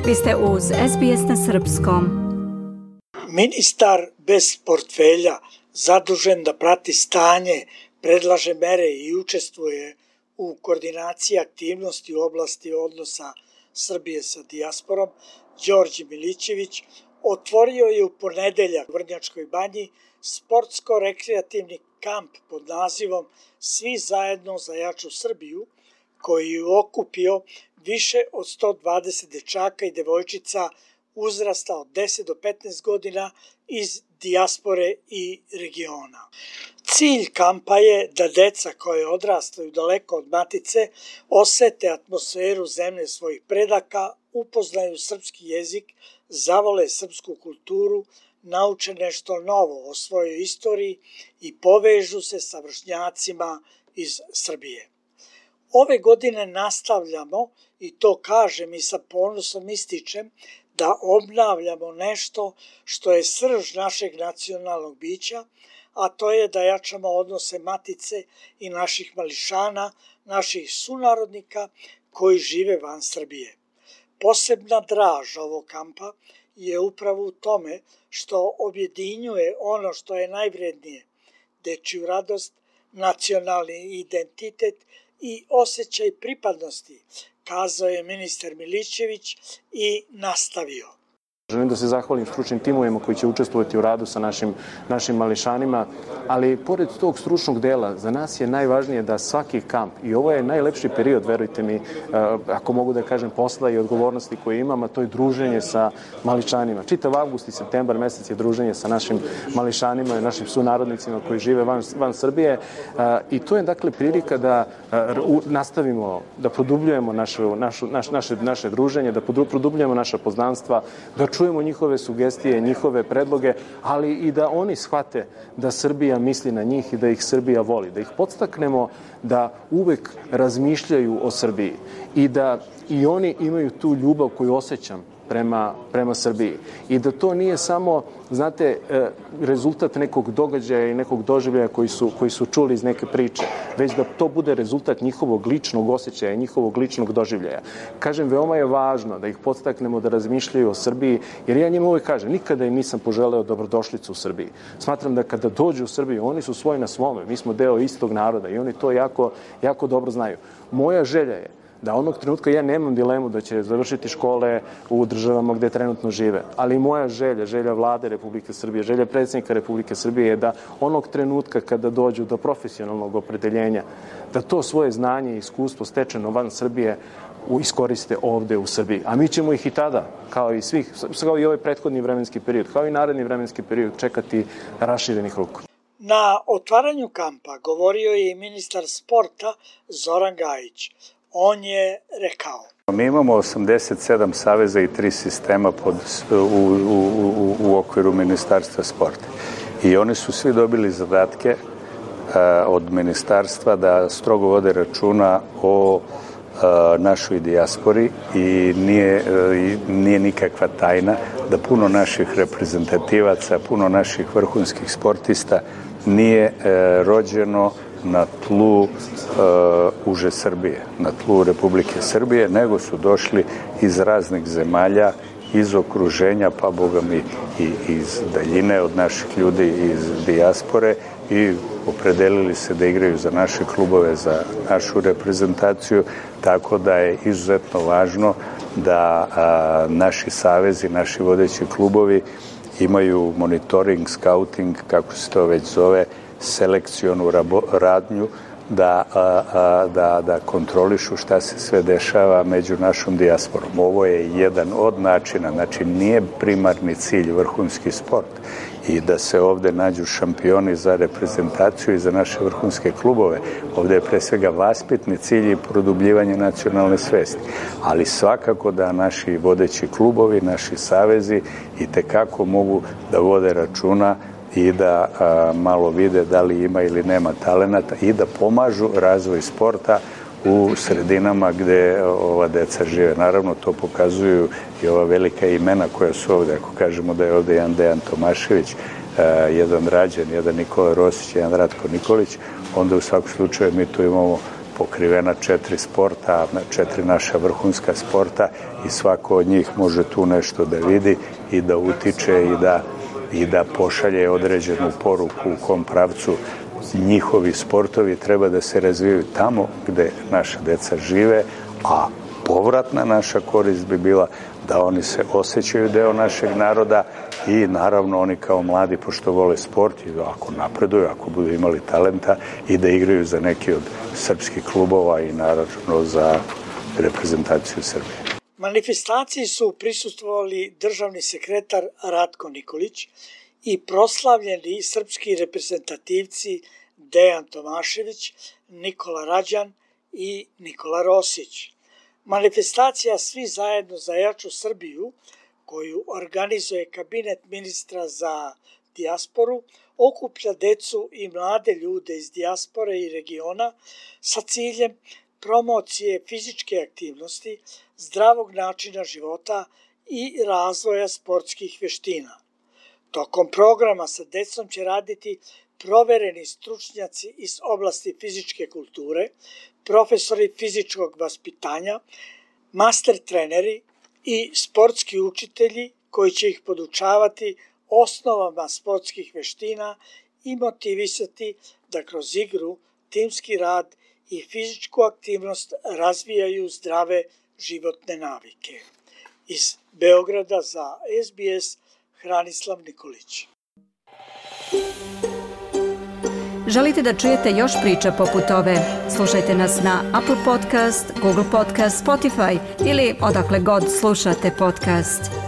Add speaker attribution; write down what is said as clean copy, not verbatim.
Speaker 1: Vi ste uz SBS na srpskom.
Speaker 2: Ministar bez portfelja, zadužen da prati stanje, predlaže mere i učestvuje u koordinaciji aktivnosti u oblasti odnosa Srbije sa dijasporom, Đorđe Milićević, otvorio je u ponedeljak u Vrnjačkoj Banji sportsko-rekreativni kamp pod nazivom Svi zajedno za jaču Srbiju, koji je okupio više od 120 dečaka i devojčica uzrasta od 10 do 15 godina iz dijaspore i regiona. Cilj kampa je da deca koje odrastaju daleko od matice osete atmosferu zemlje svojih predaka, upoznaju srpski jezik, zavole srpsku kulturu, nauče nešto novo o svojoj istoriji i povežu se sa vršnjacima iz Srbije. Ove godine nastavljamo, i to kažem i sa ponosom ističem, da obnavljamo nešto što je srž našeg nacionalnog bića, a to je da jačamo odnose matice i naših mališana, naših sunarodnika koji žive van Srbije. Posebna draž ovog kampa je upravo u tome što objedinjuje ono što je najvrednije, dečiju radost, nacionalni identitet i osjećaj pripadnosti, kazao je ministar Milićević i nastavio.
Speaker 3: Želim da se zahvalim stručnim timovima koji će učestvovati u radu sa našim mališanima, ali pored tog stručnog dela, za nas je najvažnije da svaki kamp, i ovo je najlepši period, verujte mi, ako mogu da kažem, posla i odgovornosti koje imam, a to je druženje sa mališanima. Čitav avgust i septembar mesec je druženje sa našim mališanima i našim sunarodnicima koji žive van Srbije, i to je dakle prilika da nastavimo, da produbljujemo naše druženje, da produbljujemo naša poznanstva, da čujemo njihove sugestije, njihove predloge, ali i da oni shvate da Srbija misli na njih i da ih Srbija voli, da ih podstaknemo da uvek razmišljaju o Srbiji i da i oni imaju tu ljubav koju osjećam prema Srbiji. I da to nije samo, znate, rezultat nekog događaja i nekog doživljaja koji su čuli iz neke priče, već da to bude rezultat njihovog ličnog osjećaja i njihovog ličnog doživljaja. Kažem, veoma je važno da ih podstaknemo da razmišljaju o Srbiji, jer ja njima uvek kažem, nikada im nisam poželeo dobrodošlicu u Srbiji. Smatram da kada dođu u Srbiju, oni su svoj na svome, mi smo deo istog naroda i oni to jako dobro znaju. Moja želja je da onog trenutka ja nemam dilemu da će završiti škole u državama gde trenutno žive, ali moja želja Vlade Republike Srbije, želja predsjednika Republike Srbije je da onog trenutka kada dođu do profesionalnog opredeljenja, da to svoje znanje i iskustvo stečeno van Srbije iskoriste ovde u Srbiji. A mi ćemo ih i tada, kao i ovaj prethodni vremenski period, kao i naredni vremenski period, čekati raširenih ruku.
Speaker 2: Na otvaranju kampa govorio je i ministar sporta Zoran Gajić. On je rekao:
Speaker 4: Mi imamo 87 saveza i 3 sistema u okviru Ministarstva sporta. I oni su svi dobili zadatke od ministarstva da strogo vode računa o našoj dijaspori i nije nikakva tajna da puno naših reprezentativaca, puno naših vrhunskih sportista nije rođeno na tlu uže Srbije, na tlu Republike Srbije, nego su došli iz raznih zemalja, iz okruženja, pa boga mi i iz daljine od naših ljudi iz dijaspore i opredelili se da igraju za naše klubove, za našu reprezentaciju, tako da je izuzetno važno da naši savezi, naši vodeći klubovi imaju monitoring, scouting, kako se to već zove, selekcionu radnju, da kontrolišu šta se sve dešava među našom dijasporom. Ovo je jedan od načina, znači nije primarni cilj vrhunski sport i da se ovde nađu šampioni za reprezentaciju i za naše vrhunske klubove. Ovde je pre svega vaspitni cilj i produbljivanje nacionalne svesti. Ali svakako da naši vodeći klubovi, naši savezi i tekako mogu da vode računa i da malo vide da li ima ili nema talenata i da pomažu razvoj sporta u sredinama gde ova deca žive. Naravno, to pokazuju i ova velika imena koja su ovde. Ako kažemo da je ovde jedan Dejan Tomašević, jedan Rađen, jedan Nikola Rosić, jedan Ratko Nikolić, onda u svakom slučaju mi tu imamo pokrivena 4 sporta, 4 naša vrhunska sporta i svako od njih može tu nešto da vidi i da utiče i da pošalje određenu poruku u kom pravcu njihovi sportovi treba da se razvijaju tamo gde naša deca žive, a povratna naša korist bi bila da oni se osjećaju deo našeg naroda i naravno oni kao mladi, pošto vole sport i ako napreduju, ako budu imali talenta i da igraju za neki od srpskih klubova i naravno za reprezentaciju Srbije.
Speaker 2: Manifestaciji su prisustvovali državni sekretar Ratko Nikolić i proslavljeni srpski reprezentativci Dejan Tomašević, Nikola Rađan i Nikola Rosić. Manifestacija Svi zajedno za jaču Srbiju, koju organizuje kabinet ministra za dijasporu, okuplja decu i mlade ljude iz dijaspore i regiona sa ciljem promocije fizičke aktivnosti, zdravog načina života i razvoja sportskih veština. Tokom programa sa decom će raditi provereni stručnjaci iz oblasti fizičke kulture, profesori fizičkog vaspitanja, master treneri i sportski učitelji koji će ih podučavati osnovama sportskih veština i motivisati da kroz igru, timski rad i fizičku aktivnost razvijaju zdrave životne navike. Iz Beograda za SBS Hranislav Nikolić.
Speaker 1: Želite da čujete još priča poput ove? Slušajte nas na Apple Podcast, Google Podcast, Spotify ili odakle god slušate podcast.